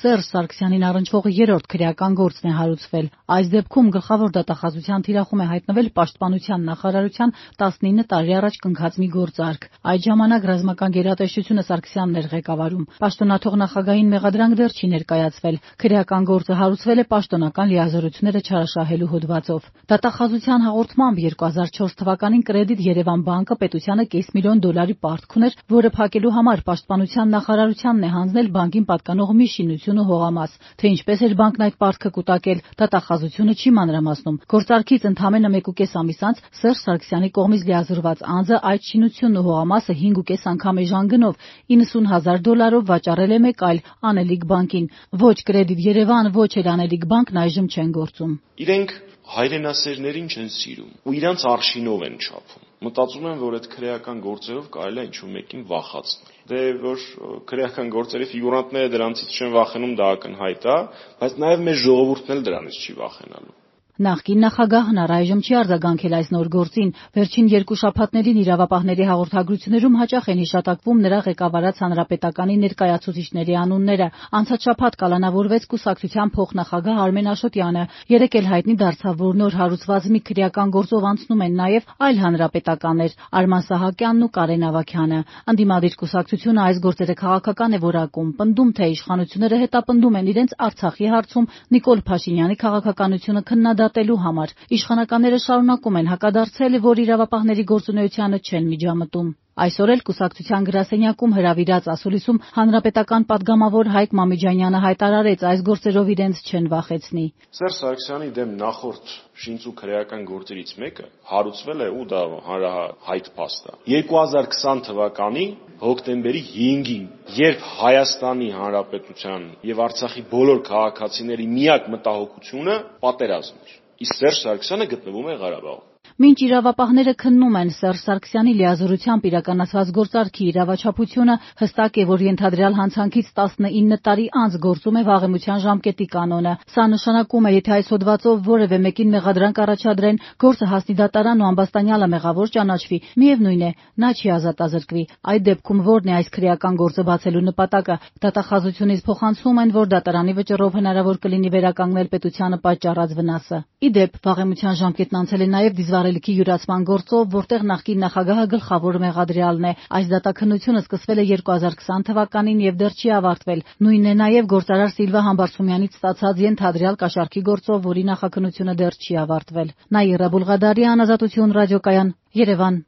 Սերժ Սարգսյանին առնչվող երրորդ քրեական գործն է հարուցվել։ Այս դեպքում գլխավոր դատախազության թիրախում է հայտնվել Պաշտպանության նախարարության 19 տարի առաջ կնքած մի գործարք։ Այդ ժամանակ ռազմական գերատեսչությունը Սարգսյանն էր ղեկավարում։ Պաշտոնաթող նախագահին մեղադրանք դեռ չի ներկայացվել։ Քրեական գործը հարուցվել է պաշտոնական լիազորությունները չարաշահելու հոդվածով։ Դատախազության հաղորդմամբ 2004 թվականին Կրեդիտ Երևան բանկը պետությանը $500,000 պարտք ուներ, որը փակելու համար Պաշտպանության նախարարությանն է հանձնել բանկին պատկանող մի շինություն ու հողամաս։ Թե ինչպես էր բանկն այդ պարտքը կուտակել, դատախազությունը չի մանրամասնում։ Գործարքից ընդամենը 1.5 ամիս անց Սերժ Սարգսյանի կողմից լիազորված անձը այդ շինությունն ու հողամասը 5.5 անգամ էժան գնով $90,000 վաճառել է մեկ այլ Անելիք բանկին։ Ոչ Կրեդիտ Երևան, ոչ էլ Անելիք բանկն այժմ չեն գործում։ Իրենք հայրենասերներին չեն սիրում ու իրանց արշինով են չափում։ Մտածում եմ, որ այդ քրեական գործերով կարելի է ինչ-որ մեկին վախացնել։ Դե որ քրեական գործերի ֆիգուրանտները դրանցից չեն վախենում, դա ակնհայտ է, բայց նաև մեր ժողովուրդն էլ դրանից չի վախենալու։ Նախկին նախագահն առայժմ չի արձագանքել այս նոր գործին։ Վերջին 2 շաբաթներին իրավապահների հաղորդագրություններում հաճախ են հիշատակվում նրա ղեկավարած հանրապետականի ներկայացուցիչների անունները։ Անցած շաբաթ կալանավորվեց կուսակցության փոխնախագահ Արմեն Աշոտյանը։ Երեկ էլ հայտնի դարձավ, որ նոր հարուցված մի քրեական գործով անցնում են նաև այլ հանրապետականներ՝ Արման Սահակյանն ու Կարեն Ավագյանը։ Ընդդիմադիր կուսակցությունը այս գործերը քաղաքական է որակում, պնդում, թե իշխանությունները հետապնդում են իրենց Արցախի հարցում Նիկոլ Փաշինյանի քաղաքականությունը քննադատելու համար։ Իշխանականները շարունակում են հակադարձել, որ իրավապահների գործունեությանը չեն միջամտում։ Այսօր էլ կուսակցության գրասենյակում հրավիրած ասուլիսում հանրապետական падգամավոր Հայկ Մամիջանյանը հայտարարեց, այս գործերով իրենց չեն վախեցնի։ Սերժ Սարգսյանի դեմ նախորդ շինծու քրեական գործերից մեկը հարուցվել է ու դա հանրահայտ փաստ է 2020 թվականի հոկտեմբերի 5-ին, երբ Հայաստանի Հանրապետության եւ Արցախի բոլոր քաղաքացիների միակ մտահոգությունը պատերազմն էր։ Իսկ Սերժ Սարգսյանը գտնվում է Ղարաբաղում։ Մինչ իրավապահները քննում են Սերժ Սարգսյանի լիազորությամբ իրականացված գործարքի իրավաչափությունը, հստակ է, որ ենթադրյալ հանցանքից 19 տարի անց գործում է վաղեմության ժամկետի կանոնը։ Սա նշանակում է, եթե այս հոդվածով որևէ մեկին մեղադրանք առաջադրեն, գործը հասնի դատարան ու ամբաստանյալը մեղավոր ճանաչվի, միևնույն է, նա չի ազատազրկվի։ Այդ դեպքում ո՞րն է այս քրեական գործը բացելու նպատակը։ Դատախազությունից փոխանցում են, որ դատարանի վճռով հնարավոր կլինի վերականգնել պետությանը պատճառած վնասը։ Ի դեպ, վաղեմության ժամկետն անցել է նաև դիզվառելիքի յուրացման գործով, որտեղ նախկին նախագահը գլխավոր մեղադրյալն է։ Այս դատաքննությունը սկսվել է 2020 թվականին եւ դեռ չի ավարտվել։ Նույնն է նաև գործարար Սիլվա Համբարձումյանից ստացած ենթադրյալ կաշառքի գործով, որի նախաքննությունը դեռ չի ավարտվել։ Նաիրա Բուլղադարյան, Ազատություն ռադիոկայան, Երևան։